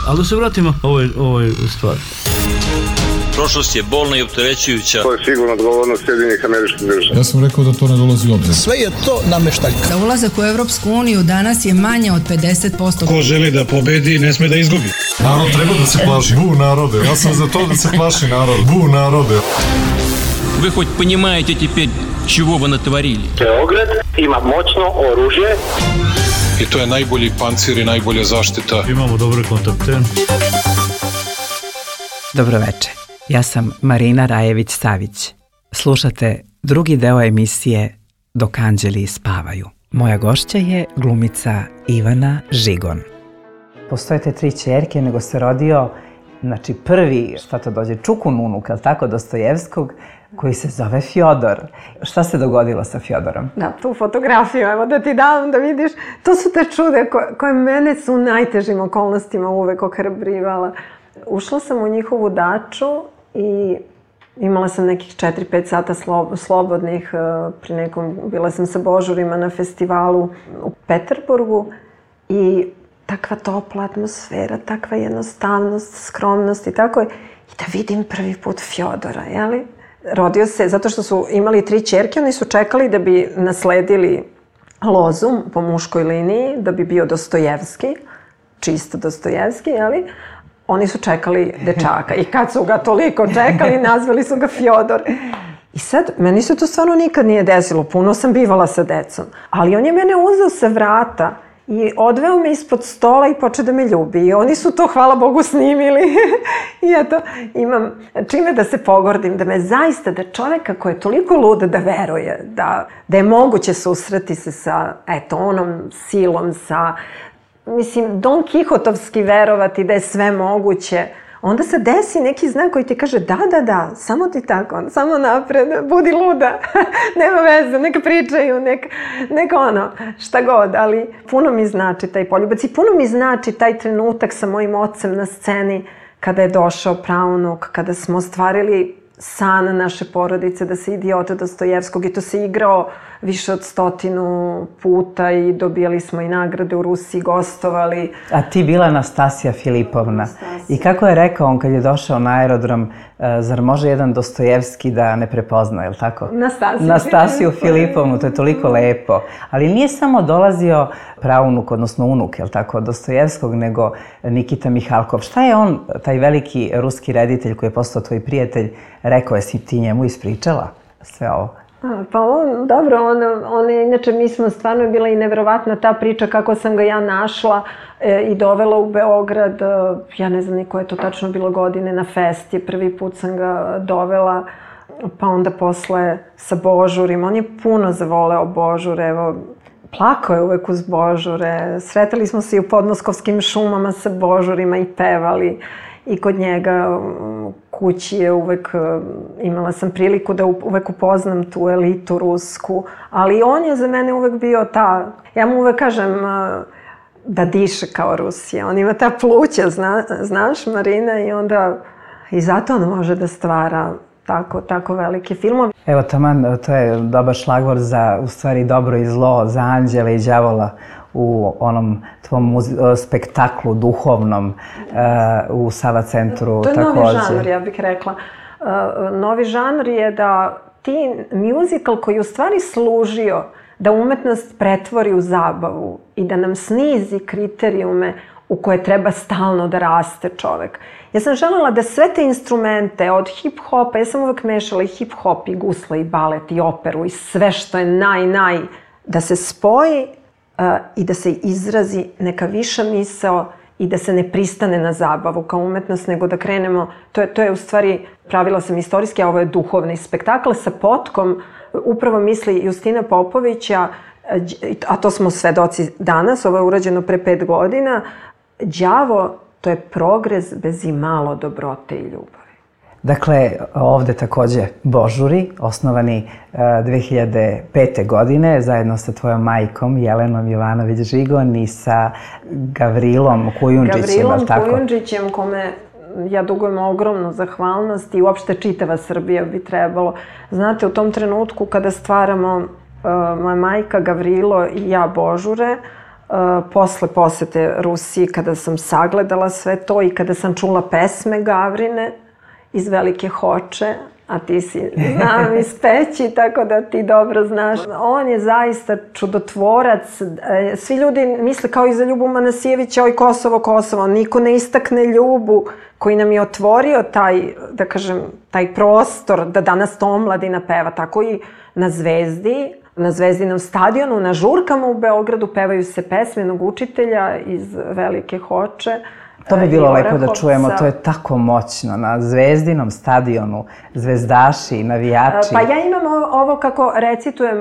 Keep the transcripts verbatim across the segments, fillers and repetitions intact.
Ali da se vratimo ovoj, ovoj stvari. Prošlost je bolna i opterećujuća. To je sigurno odgovornost Sjedinjenih Američkih Država. Ja sam rekao da to ne dolazi u obzir. Sve je to nameštaljka. Da ulazak u Evropsku uniju danas je manje od pedeset posto. Ko želi da pobedi, ne sme da izgubi. Narod treba da se plaši. Bu narode. Ja sam za to da se plaši narod. Bu narode. Вы хоть понимаете теперь, чего вы натворили? Beograd ima moćno oružje. I to je najbolji pancir i najbolja zaštita. Imamo dobre kontakte. Dobro večer. Ja sam Marina Rajević-Savić. Slušate drugi deo emisije Dok anđeli spavaju. Moja gošća je glumica Ivana Žigon. Postoje te tri ćerke, nego se rodio, znači prvi, šta to dođe, čukun unuk, ali tako, Dostojevskog, koji se zove Fjodor. Šta se dogodilo sa Fjodorom? Da, tu fotografiju, evo da ti dam da vidiš. To su te čude koje, koje mene su u najtežim okolnostima uvek ohrabrivala. Ušla sam u njihovu daču i imala sam nekih četiri pet sata slobodnih. Pri nekom, bila sam sa Božurima na festivalu u Peterburgu i takva topla atmosfera, takva jednostavnost, skromnost i tako je. I da vidim prvi put Fjodora, jeli? Rodio se, zato što su imali tri ćerke, oni su čekali da bi nasledili lozu po muškoj liniji, da bi bio Dostojevski, čisto Dostojevski, jeli? Oni su čekali dečaka i kad su ga toliko čekali, nazvali su ga Fjodor. I sad, meni se to stvarno nikad nije desilo, puno sam bivala sa decom, ali on je mene uzeo sa vrata i odveo me ispod stola i počeo da me ljubi. I oni su to, hvala Bogu, snimili. I eto, imam čime da se pogordim, da me zaista, da čoveka koji je toliko lud da veruje, da, da je moguće susreti se sa, eto, onom silom, sa, mislim, Don Kihotovski verovati da je sve moguće, onda se desi neki znak koji ti kaže da, da, da, samo ti tako, samo napred, budi luda, nema veze, neka pričaju, neka, neka ono, šta god, ali puno mi znači taj poljubac i puno mi znači taj trenutak sa mojim ocem na sceni kada je došao praunuk, kada smo ostvarili san naše porodice da se Idiota Dostojevskog i to se igrao više od stotinu puta i dobijali smo i nagrade u Rusiji, gostovali. A ti bila Nastasija Filipovna. Nastasija. I kako je rekao on kad je došao na aerodrom, zar može jedan Dostojevski da ne prepozna, je li tako? Nastasiju. Nastasiju Filipovnu, to je toliko lepo. Ali nije samo dolazio praunuk, odnosno unuk, je li tako, Dostojevskog, nego Nikita Mihalkov. Šta je on, taj veliki ruski reditelj koji je postao tvoj prijatelj, rekao, jesi ti njemu ispričala sve ovo? A, pa on, dobro, on, on je, inače mi smo stvarno bila i neverovatna ta priča kako sam ga ja našla e, i dovela u Beograd, e, ja ne znam ni koje je to tačno bilo godine, na festi, prvi put sam ga dovela, pa onda posle sa Božurima, on je puno zavoleo Božure, evo, plakao je uvek uz Božure, sretali smo se i u podmoskovskim šumama sa Božurima i pevali. I kod njega kući je uvek, imala sam priliku da uvek upoznam tu elitu rusku, ali on je za mene uvek bio ta, ja mu uvek kažem da diše kao Rusija, on ima ta pluća, zna, znaš Marina, i onda i zato on može da stvara tako, tako velike filmove. Evo taman, to je dobar šlagvor za, u stvari, dobro i zlo, za anđela i đavola u onom tvom spektaklu duhovnom uh, u Sava centru. To je takođe. Novi žanr, ja bih rekla. Uh, novi žanr je da ti musical koji u stvari služio da umetnost pretvori u zabavu i da nam snizi kriterijume u koje treba stalno da raste čovek. Ja sam želela da sve te instrumente od hip-hopa, ja sam uvek mešala i hip-hop i gusle i balet i operu i sve što je naj, naj, da se spoji uh, i da se izrazi neka viša misao i da se ne pristane na zabavu kao umetnost, nego da krenemo, to je, to je u stvari, pravila sam istorijski, a ovo je duhovni spektakl sa potkom, upravo misli Justina Popovića, a to smo svedoci danas, ovo je urađeno pre pet godina, đavo, to je progres bez imalo dobrote i ljubavi. Dakle, ovde takođe Božuri, osnovani dve hiljade pete. godine, zajedno sa tvojom majkom Jelenom Jovanović-Žigon i sa Gavrilom Kujundžićem, Gavrilom Kujundžićem, kome ja dugujem ogromnu zahvalnost i uopšte čitava Srbija bi trebalo. Znate, u tom trenutku kada stvaramo uh, moja majka, Gavrilo i ja Božure, posle posete Rusiji, kada sam sagledala sve to i kada sam čula pesme Gavrine iz Velike Hoče, a ti si, znam, iz Peći, tako da ti dobro znaš. On je zaista čudotvorac. Svi ljudi misle kao i za Ljubu Manasijevića, oj Kosovo, Kosovo. Niko ne istakne Ljubu koji nam je otvorio taj, da kažem, taj prostor da danas to omladina peva. Tako i na Zvezdi, na Zvezdinom stadionu, na žurkama u Beogradu pevaju se pesme jednog učitelja iz Velike Hoče. To bi bilo lepo da čujemo, to je tako moćno. Na Zvezdinom stadionu, zvezdaši, navijači. Pa ja imam ovo kako recitujem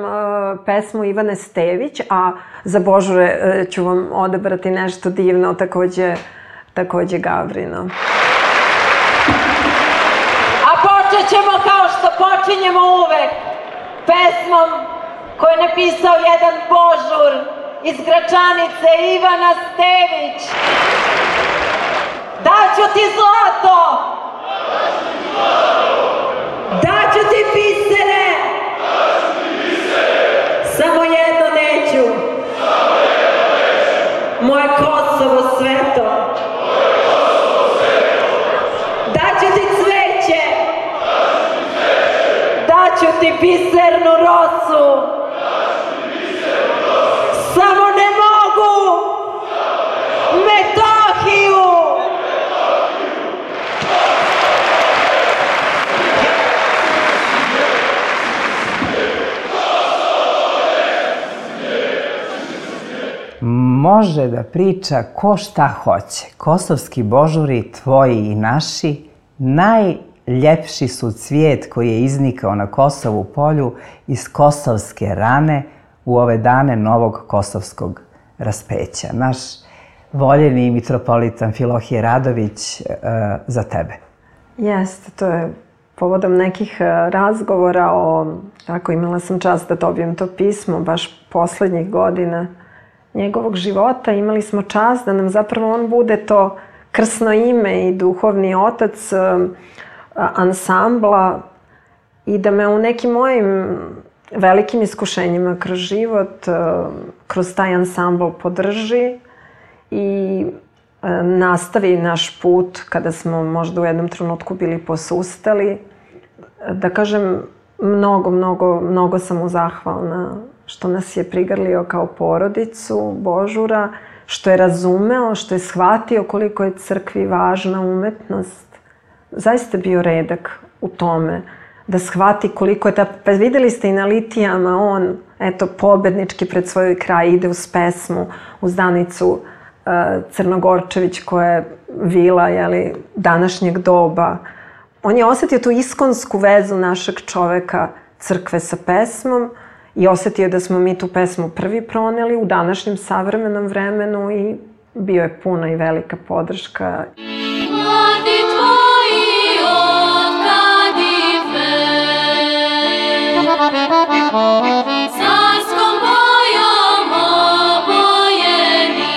pesmu Ivane Stević, a za Božure ću vam odabrati nešto divno, takođe, takođe Gavrino. A počet ćemo kao što počinjemo uvek, pesmom koju je napisao jedan Božur iz Gračanice, Ivana Stević. Daću ti zlato! Daću ti bisere! Samo jedno neću! Moje Kosovo sveto! Daću ti cveće! Daću ti bisernu rosu! Samo ne mogu! Metohiju! Može da priča ko šta hoće. Kosovski božuri, tvoji i naši, najljepši su cvijet koji je iznikao na Kosovu polju iz kosovske rane u ove dane novog kosovskog raspeća. Naš voljeni mitropolitan Filohije Radović za tebe. Jeste, to je povodom nekih razgovora o, tako imala sam čast da dobijem to pismo baš poslednjih godina njegovog života. Imali smo čast da nam zapravo on bude to krsno ime i duhovni otac ansambla i da me u nekim mojim velikim iskušenjima kroz život, kroz taj ansambl podrži i nastavi naš put kada smo možda u jednom trenutku bili posustali. Da kažem, mnogo, mnogo, mnogo sam mu zahvalna što nas je prigrlio kao porodicu Božura, što je razumeo, što je shvatio koliko je crkvi važna umetnost. Zaista bio redak u tome da shvati koliko je ta... Pa videli ste i na litijama, on, eto, pobednički pred svoj kraj ide uz pesmu, uz Danicu uh, Crnogorčević koja je vila, jeli, današnjeg doba. On je osetio tu iskonsku vezu našeg čoveka crkve sa pesmom i osetio da smo mi tu pesmu prvi proneli u današnjem savremenom vremenu i bio je puna i velika podrška. Mladi tvoji otkadive, carskom bojom obojeni,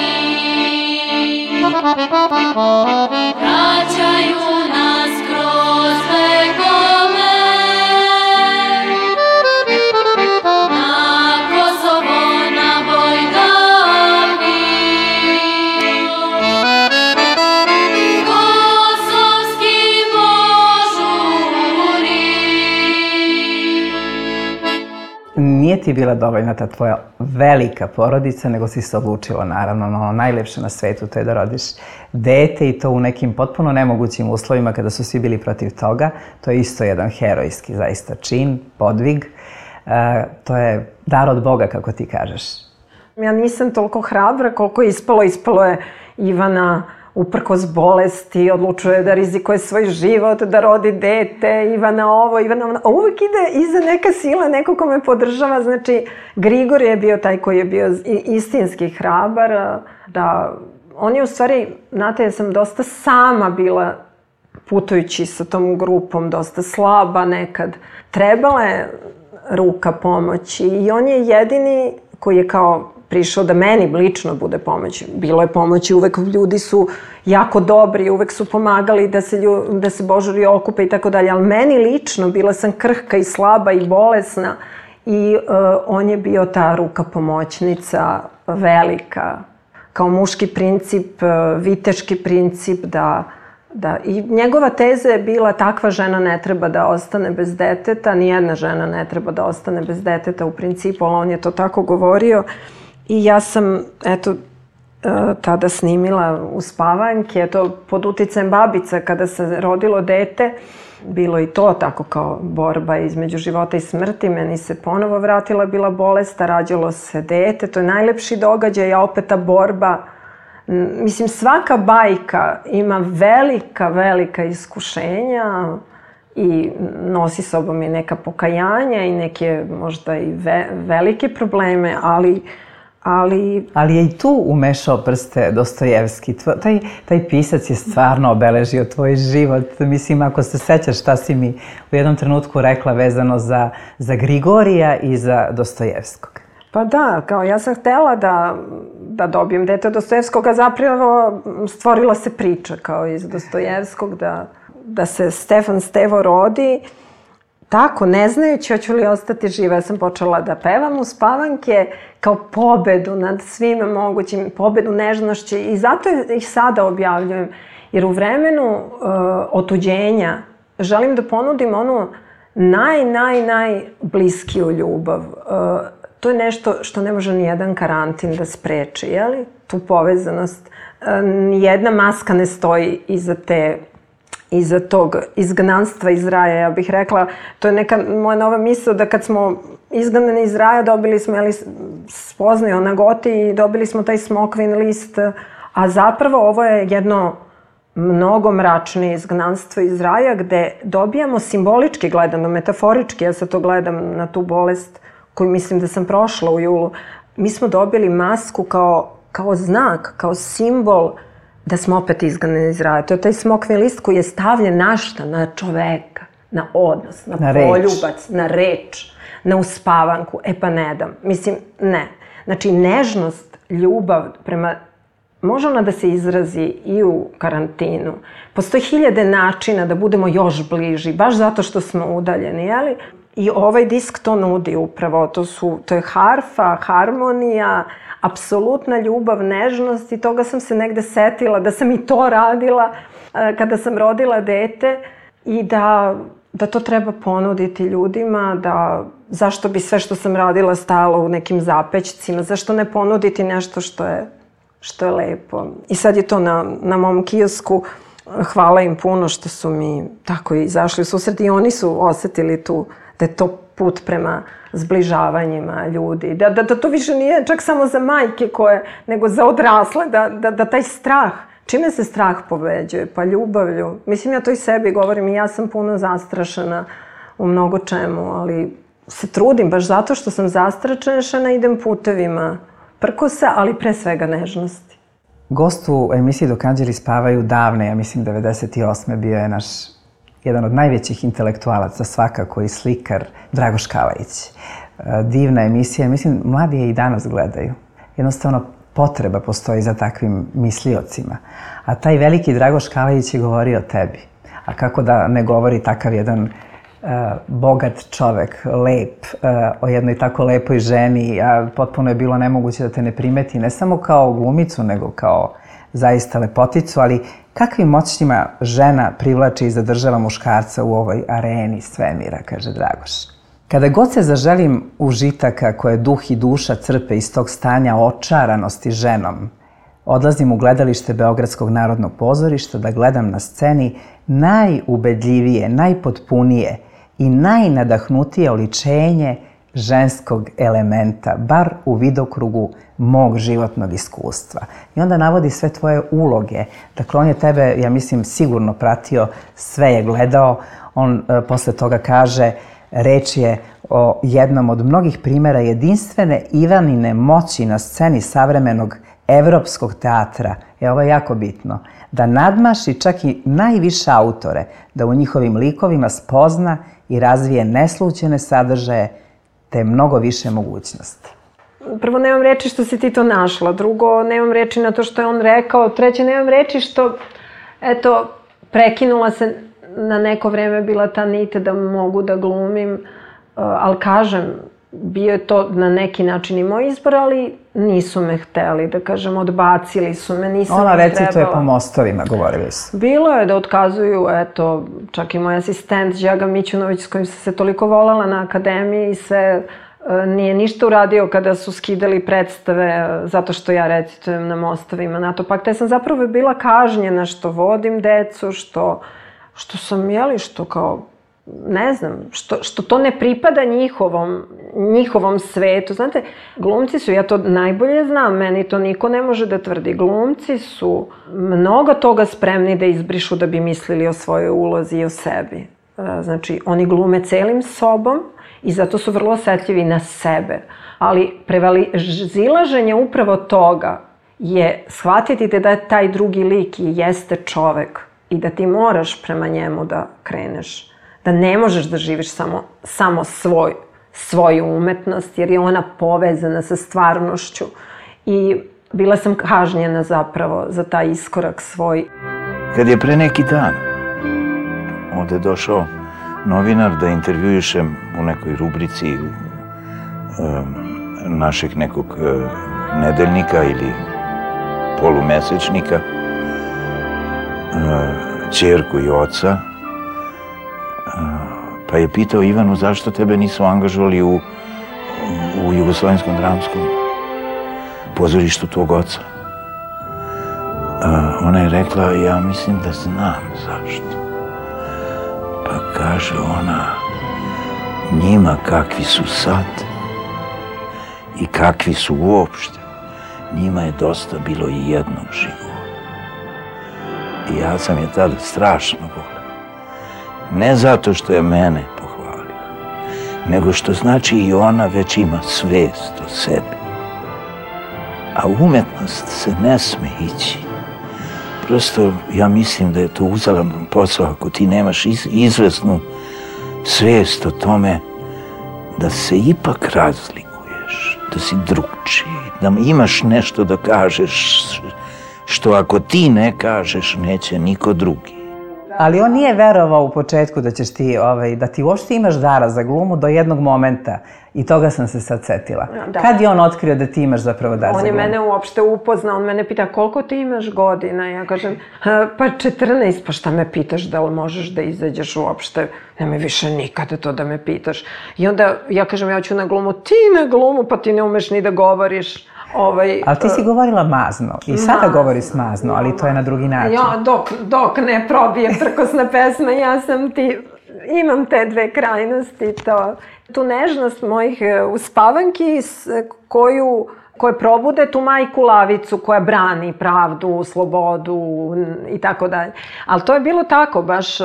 vraćaju nas kroz vekove. Nije ti bila dovoljna ta tvoja velika porodica, nego si se odlučila naravno na ono najlepše na svetu, to je da rodiš dete i to u nekim potpuno nemogućim uslovima kada su svi bili protiv toga. To je isto jedan herojski zaista čin, podvig. E, to je dar od Boga, kako ti kažeš. Ja nisam toliko hrabra koliko je ispalo. Ispalo je Ivana uprkos bolesti, odlučuje da rizikuje svoj život, da rodi dete, Ivana ovo, Ivana ono. A uvek ide iza neka sila, neko ko me podržava. Znači, Grigor je bio taj koji je bio istinski hrabar. Da, on je u stvari, znate, ja sam dosta sama bila putujući sa tom grupom, dosta slaba nekad. Trebala je ruka pomoći i on je jedini koji je kao prišao da meni lično bude pomoć. Bilo je pomoći, uvek ljudi su jako dobri, uvek su pomagali da se, lju, da se božuri okupe i tako dalje, ali meni lično, bila sam krhka i slaba i bolesna i uh, on je bio ta ruka pomoćnica velika, kao muški princip, viteški princip, da, da i njegova teza je bila takva žena ne treba da ostane bez deteta, nijedna žena ne treba da ostane bez deteta u principu, ali on je to tako govorio. I ja sam, eto, tada snimila Uspavanke, eto, pod uticajem babica kada se rodilo dete, bilo i to tako kao borba između života i smrti, meni se ponovo vratila bila bolest, a rađalo se dete, to je najlepši događaj, a opet ta borba. Mislim, svaka bajka ima velika, velika iskušenja i nosi sobom i neka pokajanja i neke možda i ve, velike probleme, ali Ali... Ali je i tu umešao prste Dostojevski. Taj, taj pisac je stvarno obeležio tvoj život. Mislim, ako se sećaš šta si mi u jednom trenutku rekla vezano za, za Grigorija i za Dostojevskog. Pa da, kao ja sam htela da, da dobijem dete od Dostojevskog, a zapravo stvorila se priča kao iz Dostojevskog da, da se Stefan Stevo rodi. Tako, ne znajući hoću li ostati živa, ja sam počela da pevam Uspavanke kao pobedu nad svime mogućim, pobedu nežnošću i zato ih sada objavljujem. Jer u vremenu uh, otuđenja želim da ponudim onu naj, naj, najbliskiju ljubav. Uh, to je nešto što ne može nijedan karantin da spreči, jeli? Tu povezanost. Uh, nijedna maska ne stoji iza te iza tog izgnanstva iz raja, ja bih rekla, to je neka moja nova misao da kad smo izgnani iz raja dobili smo, jeli, spoznaju na Goti i dobili smo taj smokvin list, a zapravo ovo je jedno mnogo mračnije izgnanstvo iz raja gde dobijamo simbolički gledano, metaforički, ja sad to gledam na tu bolest koju mislim da sam prošla u julu, mi smo dobili masku kao, kao znak, kao simbol da smo opet izgnani iz raja. To je taj smokvin list koji je stavljen na šta? Na čoveka, na odnos, na, na poljubac, na reč, na uspavanku. E pa ne dam. Mislim, ne. Znači, nežnost, ljubav prema... Može ona da se izrazi i u karantinu. Postoji hiljade načina da budemo još bliži, baš zato što smo udaljeni, jeli? I ovaj disk to nudi upravo. To, su, to je harfa, harmonija, apsolutna ljubav, nežnost i toga sam se negde setila da sam i to radila kada sam rodila dete i da, da to treba ponuditi ljudima, da zašto bi sve što sam radila stalo u nekim zapećcima, zašto ne ponuditi nešto što je, što je lepo. I sad je to na, na mom kiosku, hvala im puno što su mi tako izašli u susret i oni su osetili tu da je to put prema zbližavanjima ljudi. Da, da, da to više nije čak samo za majke koje, nego za odrasle, da, da, da taj strah, čime se strah pobeđuje? Pa ljubavlju. Mislim, ja to i sebi govorim i ja sam puno zastrašena u mnogo čemu, ali se trudim baš zato što sam zastrašena, idem putevima prkosa, ali pre svega nežnosti. Gost u emisiji Dok anđeli spavaju davne, ja mislim devedeset osme bio je naš jedan od najvećih intelektualaca svakako i slikar Dragoš Kalajić. Divna emisija, mislim, mladi je i danas gledaju. Jednostavno, potreba postoji za takvim misliocima. A taj veliki Dragoš Kalajić je govorio o tebi. A kako da ne govori takav jedan uh, bogat čovek, lep, uh, o jednoj tako lepoj ženi, a potpuno je bilo nemoguće da te ne primeti, ne samo kao glumicu, nego kao zaista lepoticu, ali kakvim moćnjima žena privlači i zadržava muškarca u ovoj areni svemira, kaže Dragoš. Kada god se zaželim užitaka koje duh i duša crpe iz tog stanja očaranosti ženom, odlazim u gledalište Beogradskog narodnog pozorišta da gledam na sceni najubedljivije, najpotpunije i najnadahnutije oličenje ženskog elementa, bar u vidokrugu mog životnog iskustva. I onda navodi sve tvoje uloge. Dakle, on je tebe, ja mislim, sigurno pratio, sve je gledao. On e, posle toga kaže, reč je o jednom od mnogih primjera jedinstvene Ivanine moći na sceni savremenog evropskog teatra. E, ovo je jako bitno. Da nadmaši čak i najviše autore, da u njihovim likovima spozna i razvije neslućene sadržaje, te mnogo više mogućnosti. Prvo, nemam reči što si ti to našla. Drugo, nemam reči na to što je on rekao. Treće, nemam reči što, eto, prekinula se na neko vreme bila ta nit da mogu da glumim. Ali kažem, bio je to na neki način i moj izbor, ali nisu me hteli, da kažem, odbacili su me, nisam Ona im trebala. recituje po mostovima, govorili su. Bilo je da otkazuju, eto, čak i moj asistent Đaga Mićunović s kojim sam se toliko volala na akademiji i sve, nije ništa uradio kada su skidali predstave zato što ja recitujem na mostovima NATO pakta. Ja sam zapravo bila kažnjena što vodim decu, što, što sam, jeli, što kao, ne znam, što, što to ne pripada njihovom, njihovom svetu. Znate, glumci su, ja to najbolje znam, meni to niko ne može da tvrdi, glumci su mnogo toga spremni da izbrišu da bi mislili o svojoj ulozi i o sebi. Znači, oni glume celim sobom i zato su vrlo osetljivi na sebe. Ali prevazilaženje upravo toga je shvatiti da je taj drugi lik i jeste čovek i da ti moraš prema njemu da kreneš. Da ne možeš da živiš samo, samo svoj, svoju umetnost, jer je ona povezana sa stvarnošću. I bila sam kažnjena zapravo za taj iskorak svoj. Kad je pre neki dan ovde došao novinar da intervjuišem u nekoj rubrici um, našeg nekog uh, nedeljnika ili polumesečnika, uh, ćerku i oca, pa je pitao Ivanu zašto tebe nisu angažovali u, u Jugoslovenskom dramskom pozorištu tvog oca. A, ona je rekla, ja mislim da znam zašto. Pa kaže ona, njima kakvi su sad i kakvi su uopšte, njima je dosta bilo i jednog života. I ja sam je tada strašno volio. Ne zato što je mene pohvalila, nego što znači i ona već ima svest o sebi. A umetnost se ne sme ići. Prosto ja mislim da je to uzalan posao ako ti nemaš iz, izvesnu svest o tome da se ipak razlikuješ, da si drugčiji, da imaš nešto da kažeš što ako ti ne kažeš neće niko drugi. Ali on nije verovao u početku da ćeš ti, ovaj, da ti uopšte imaš dara za glumu do jednog momenta. I toga sam se sad setila. Da. Kad je on otkrio da ti imaš zapravo dar za glumu? On je mene uopšte upoznao, on mene pita koliko ti imaš godina? Ja kažem, pa četrnaest, pa šta me pitaš, da li možeš da izađeš uopšte? Nemoj više nikada to da me pitaš. I onda ja kažem, ja ću na glumu, ti na glumu, pa ti ne umeš ni da govoriš. Ovaj, ali ti si govorila mazno i sada mazno. Govoriš mazno, ali to je na drugi način. Ja, dok, dok ne probije prkosna pesma, ja sam ti, imam te dve krajnosti, to, tu nežnost mojih uspavanki koju, koje probude tu majku lavicu koja brani pravdu, slobodu i tako dalje. Ali to je bilo tako, baš...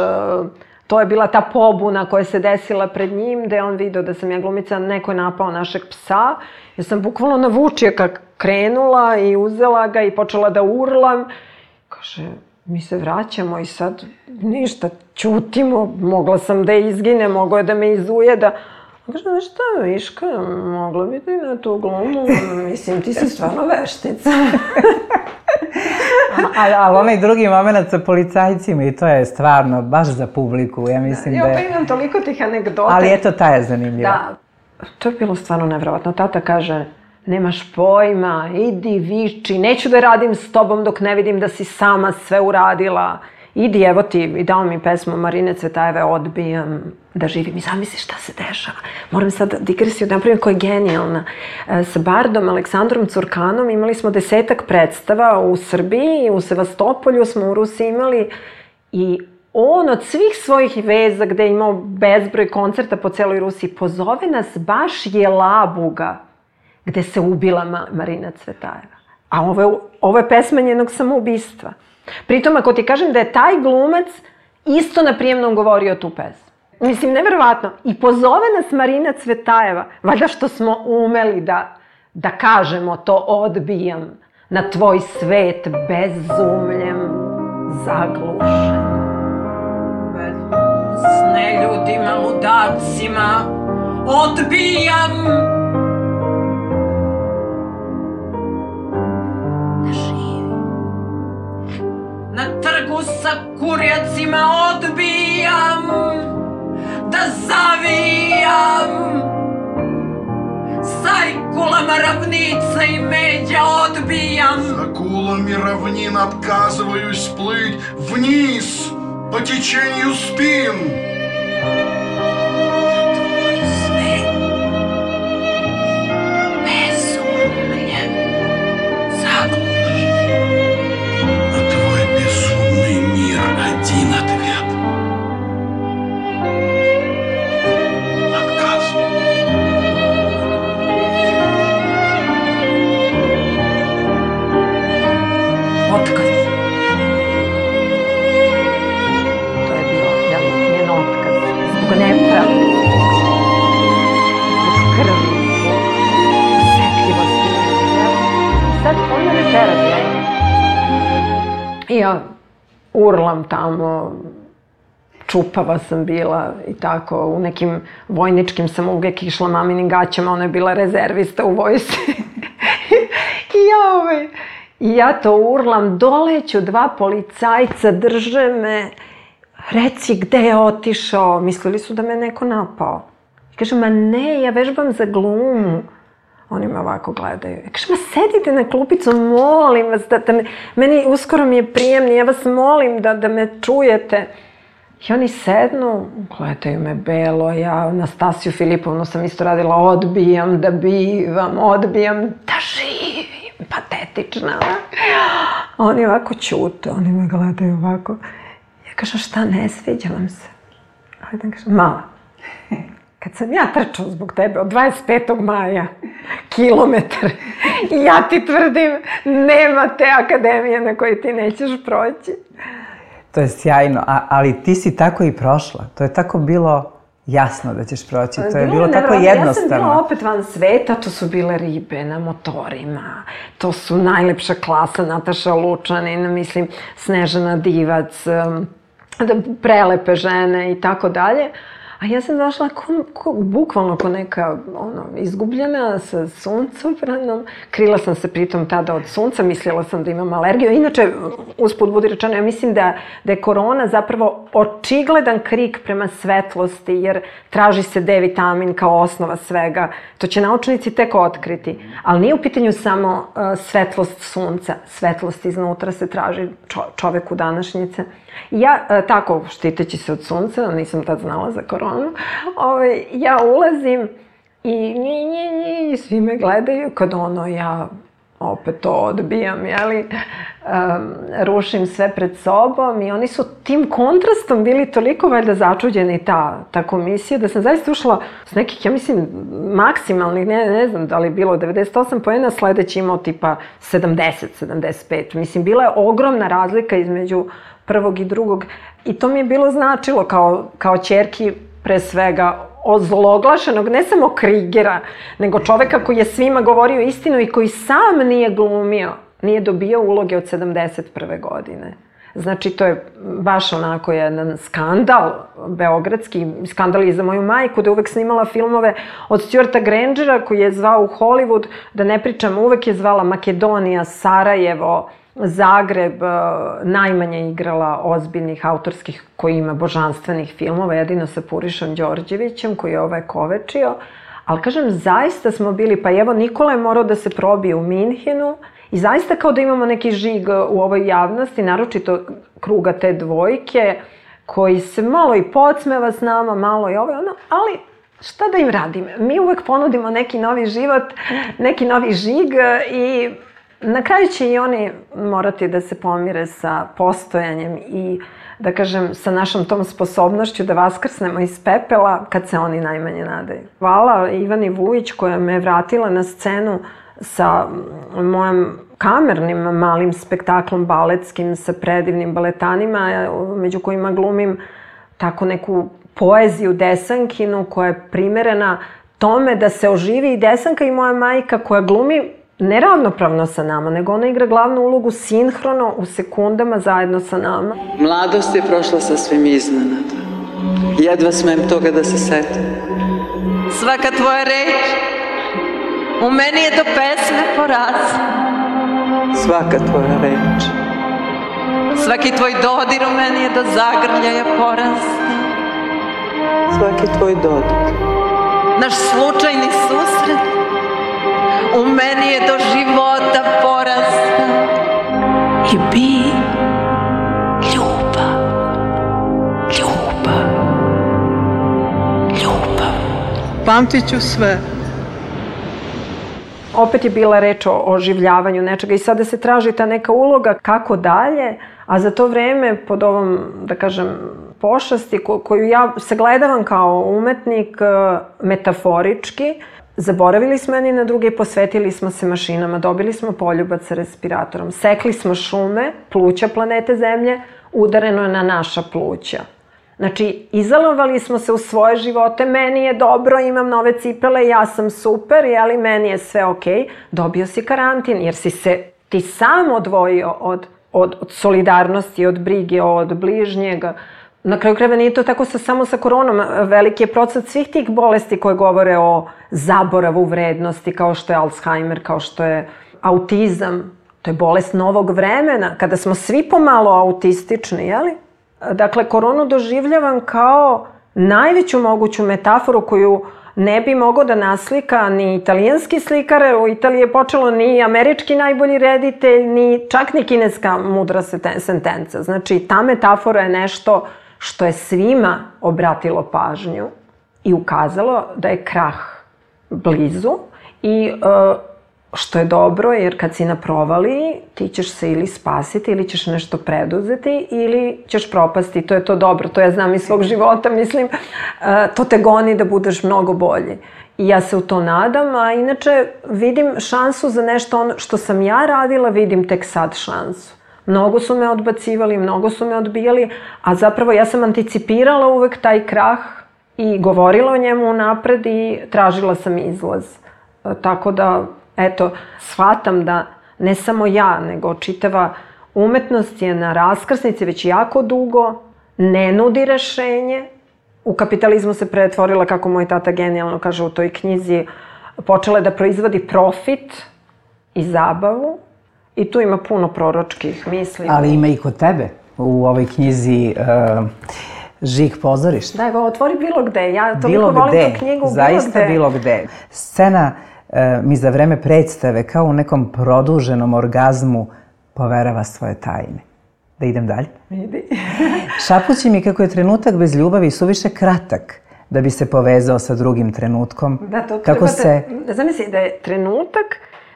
To je bila ta pobuna koja se desila pred njim, gde je on vidio da sam ja glumica, neko je napao našeg psa. Ja sam bukvalno na vučijaka krenula i uzela ga i počela da urlam. Kaže, mi se vraćamo i sad ništa, ćutimo, mogla sam da izgine, moglo je da me izujeda. Kaže, znaš šta, Viška, mogla bi ti na tu glumu, mislim, ti si stvarno veštica. Ali al onaj drugi moment sa policajcima i to je stvarno baš za publiku, ja mislim da je... Ja pa imam toliko tih anegdota. Ali eto, ta je zanimljiva. Da, to je bilo stvarno nevjerovatno. Tata kaže, nemaš pojma, idi, viči, neću da radim s tobom dok ne vidim da si sama sve uradila. Idi, evo ti, i dao mi pesmu Marine Cvetajeve, Odbijam da živim. I zamisli šta se dešava. Moram sad digresiju da napravim koja je genijalna. Sa Bardom Aleksandrom Curkanom imali smo desetak predstava u Srbiji, u Sevastopolju smo u Rusiji imali i on od svih svojih veza gde je imao bezbroj koncerta po celoj Rusiji pozove nas baš Jelabuga gde se ubila Marina Cvetajeva. A ovo je, ovo je pesma njenog samoubistva. Pritom, ako ti kažem da je taj glumac isto na prijemnom govorio tu pesmu. Mislim, nevjerovatno. I pozove nas Marina Cvetajeva, valjda što smo umeli da, da kažemo to odbijam na tvoj svet bezumljem zaglušen. S neljudima, ludacima, odbijam na trgu sa kurjacima, odbijam da zavijam Aj, kulama равница и медя odbijam. За кулами равнин отказываюсь плыть вниз по течению спин. Tvoj svet bezumlje zagluši. На твой безумный мир один ответ. Отказ. Otkaz. To je bio jel, njen otkaz. Zbog nepravde, zbog krvi, zbog osetljivosti. I sad on mene tera tjera. I ja urlam tamo, čupava sam bila i tako, u nekim vojničkim sam uvijek išla maminim gaćama, ona je bila rezervista u vojsci. I ja ovaj... I ja to urlam, doleću dva policajca, drže me, reci gde je otišao, mislili su da me neko napao. I kažem, ma ne, ja vežbam za glumu. Oni me ovako gledaju. I kažem, ma sedite na klupicu, molim vas, da, da me, meni uskoro mi je prijemni, ja vas molim da, da me čujete. I oni sednu, gledaju me belo, ja Anastasiju Filipovnu sam isto radila, odbijam da bivam, odbijam da živim. Patetična. Oni ovako ćute, oni me gledaju ovako. Ja kažem, šta, ne sviđa vam se? Ajde, kažem, mala. Kad sam ja trčao zbog tebe od dvadeset petog maja, kilometar, i ja ti tvrdim, nema te akademije na kojoj ti nećeš proći. To je sjajno, a, ali ti si tako i prošla. To je tako bilo jasno da ćeš proći. To je bilo tako jednostavno. Ja sam bila opet van sveta, to su bile ribe na motorima, to su najlepša klasa, Nataša Lučanin, mislim, Snežana Divac, prelepe žene i tako dalje. A ja sam došla ko, ko, bukvalno ko neka ono, izgubljena sa suncobranom. Krila sam se pritom tada od sunca, mislila sam da imam alergiju. Inače, usput budi rečeno, ja mislim da, da je korona zapravo očigledan krik prema svetlosti, jer traži se D vitamin kao osnova svega. To će naučnici tek otkriti. Ali nije u pitanju samo uh, svetlost sunca. Svetlost iznutra se traži čo, čoveku današnjice. I ja, uh, tako, štiteći se od sunca, nisam tad znala za koronu, Ove, ja ulazim i nji, nji, nji, svi me gledaju kad ono ja opet to odbijam, jeli, um, rušim sve pred sobom i oni su tim kontrastom bili toliko valjda začuđeni ta, ta komisija da sam zaista ušla s nekih, ja mislim, maksimalnih, ne, ne znam da li je bilo devedeset osam poena, sledeći imao tipa sedamdeset, sedamdeset pet. Mislim, bila je ogromna razlika između prvog i drugog i to mi je bilo značilo kao, kao ćerki pre svega ozloglašenog, ne samo Krigera, nego čoveka koji je svima govorio istinu i koji sam nije glumio, nije dobio uloge od sedamdeset prve godine. Znači, to je baš onako jedan skandal beogradski, skandal i za moju majku, da je uvek snimala filmove od Stuarta Grangera, koji je zvao u Hollywood, da ne pričam, uvek je zvala Makedonija, Sarajevo, Zagreb, najmanje igrala ozbiljnih autorskih koji ima božanstvenih filmova, jedino sa Purišom Đorđevićem koji je ovaj kovečio. Ali kažem, zaista smo bili, pa evo Nikola je morao da se probije u Minhenu i zaista kao da imamo neki žig u ovoj javnosti, naročito kruga te dvojke, koji se malo i podsmeva s nama, malo i ovo, ono, ali šta da im radim? Mi uvek ponudimo neki novi život, neki novi žig i na kraju će i oni morati da se pomire sa postojanjem i, da kažem, sa našom tom sposobnošću da vaskrsnemo iz pepela kad se oni najmanje nadaju. Hvala Ivani Vujić koja me vratila na scenu sa mojim kamernim malim spektaklom baletskim sa predivnim baletanima, među kojima glumim tako neku poeziju Desankinu koja je primerena tome da se oživi i Desanka i moja majka koja glumi neravnopravno sa nama, nego ona igra glavnu ulogu sinhrono u sekundama zajedno sa nama. Mladost je prošla sasvim iznenada. Jedva smem toga da se setim. Svaka tvoja reč u meni je do pesme porasla. Svaka tvoja reč. Svaki tvoj dodir u meni je do zagrljaja porasla. Svaki tvoj dodir. Naš slučajni susret u meni je do života porasta i bi ljubav, ljubav, ljubav. Pamtit ću sve. Opet je bila reč o oživljavanju nečega i sada se traži ta neka uloga kako dalje, a za to vreme pod ovom, da kažem, pošasti koju ja sagledavam kao umetnik metaforički, zaboravili smo jedni na druge i posvetili smo se mašinama, dobili smo poljubac sa respiratorom, sekli smo šume, pluća planete Zemlje, udareno je na naša pluća. Znači, izolovali smo se u svoje živote, meni je dobro, imam nove cipele, ja sam super, jeli, meni je sve okej. Dobio si karantin jer si se ti sam odvojio od, od, od solidarnosti, od brige, od bližnjega. Na kraju krajeva nije to tako sa, samo sa koronom. Veliki je procent svih tih bolesti koje govore o zaboravu vrednosti, kao što je Alzheimer, kao što je autizam. To je bolest novog vremena, kada smo svi pomalo autistični, jeli? Dakle, koronu doživljavam kao najveću moguću metaforu koju ne bi mogao da naslika ni italijanski slikar, u Italiji je počelo ni američki najbolji reditelj, ni čak ni kineska mudra sentenca. Znači, ta metafora je nešto što je svima obratilo pažnju i ukazalo da je krah blizu i uh, što je dobro, jer kad si na provaliji, ti ćeš se ili spasiti, ili ćeš nešto preduzeti, ili ćeš propasti. To je to dobro, to ja znam iz svog života, mislim, to te goni da budeš mnogo bolji. I ja se u to nadam, a inače vidim šansu za nešto ono što sam ja radila, vidim tek sad šansu. Mnogo su me odbacivali, mnogo su me odbijali, a zapravo ja sam anticipirala uvek taj krah i govorila o njemu unapred i tražila sam izlaz. Tako da, eto, shvatam da ne samo ja, nego čitava umetnost je na raskrsnici već jako dugo, ne nudi rešenje. U kapitalizmu se pretvorila, kako moj tata genijalno kaže u toj knjizi, počela je da proizvodi profit i zabavu i tu ima puno proročkih misli. Ali ima i kod tebe u ovoj knjizi uh, Žig pozorišta. Da, evo, otvori bilo gde. Ja toliko volim tu knjigu. Zaista bilo gde. Scena mi za vreme predstave, kao u nekom produženom orgazmu, poverava svoje tajne. Da idem dalje? Idi. Šapući mi kako je trenutak bez ljubavi suviše kratak da bi se povezao sa drugim trenutkom. Da, to kako treba se... da... Zamisli da je trenutak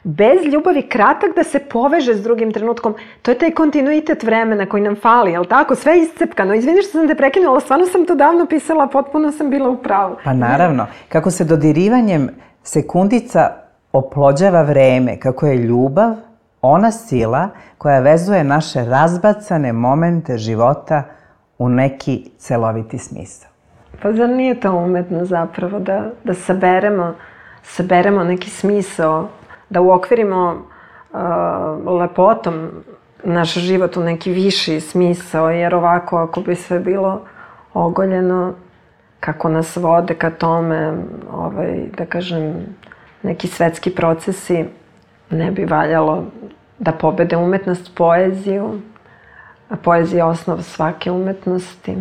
bez ljubavi kratak da se poveže s drugim trenutkom. To je taj kontinuitet vremena koji nam fali, jel tako? Sve je iscepkano. Izvini što sam te prekinula, stvarno sam to davno pisala, potpuno sam bila u pravu. Pa naravno. Kako se dodirivanjem sekundica oplođava vreme, kako je ljubav ona sila koja vezuje naše razbacane momente života u neki celoviti smisao. Pa zar nije to umetno zapravo da, da saberemo, saberemo neki smisao, da uokvirimo uh, lepotom naš život u neki viši smisao, jer ovako ako bi sve bilo ogoljeno, kako nas vode ka tome, ovaj, da kažem, neki svetski procesi, ne bi valjalo da pobede umetnost poeziju, a poezija je osnov svake umetnosti.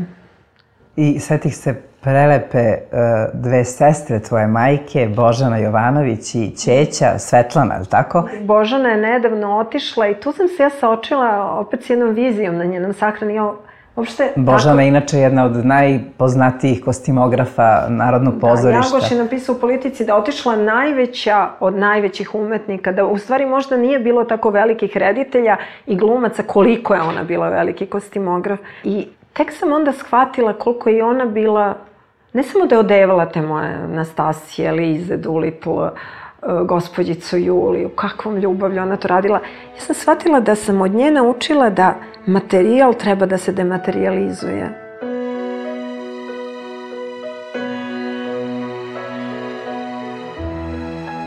I setih se prelepe uh, dve sestre tvoje majke, Božana Jovanović i ćeća Svetlana, je li tako? Božana je nedavno otišla i tu sam se ja saočila opet s jednom vizijom na njenom sahrani. Uopšte, Božana je tako... inače jedna od najpoznatijih kostimografa Narodnog pozorišta. Da, Jagoš je napisao u Politici da otišla najveća od najvećih umetnika, da u stvari možda nije bilo tako velikih reditelja i glumaca koliko je ona bila veliki kostimograf. I tek sam onda shvatila koliko je ona bila, ne samo da je odevala te moje Nastasije, Lize, Doolittle, gospođicu Juliju, kakvom ljubavlju ona to radila. Ja sam shvatila da sam od nje naučila da materijal treba da se dematerializuje.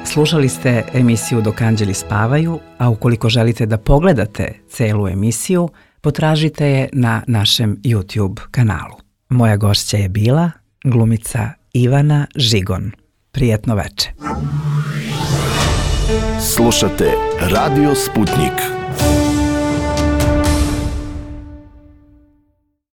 Slušali ste emisiju Dok anđeli spavaju, a ukoliko želite da pogledate celu emisiju, potražite je na našem YouTube kanalu. Moja gošća je bila glumica Ivana Žigon. Prijetno veče. Slušate Radio Sputnik.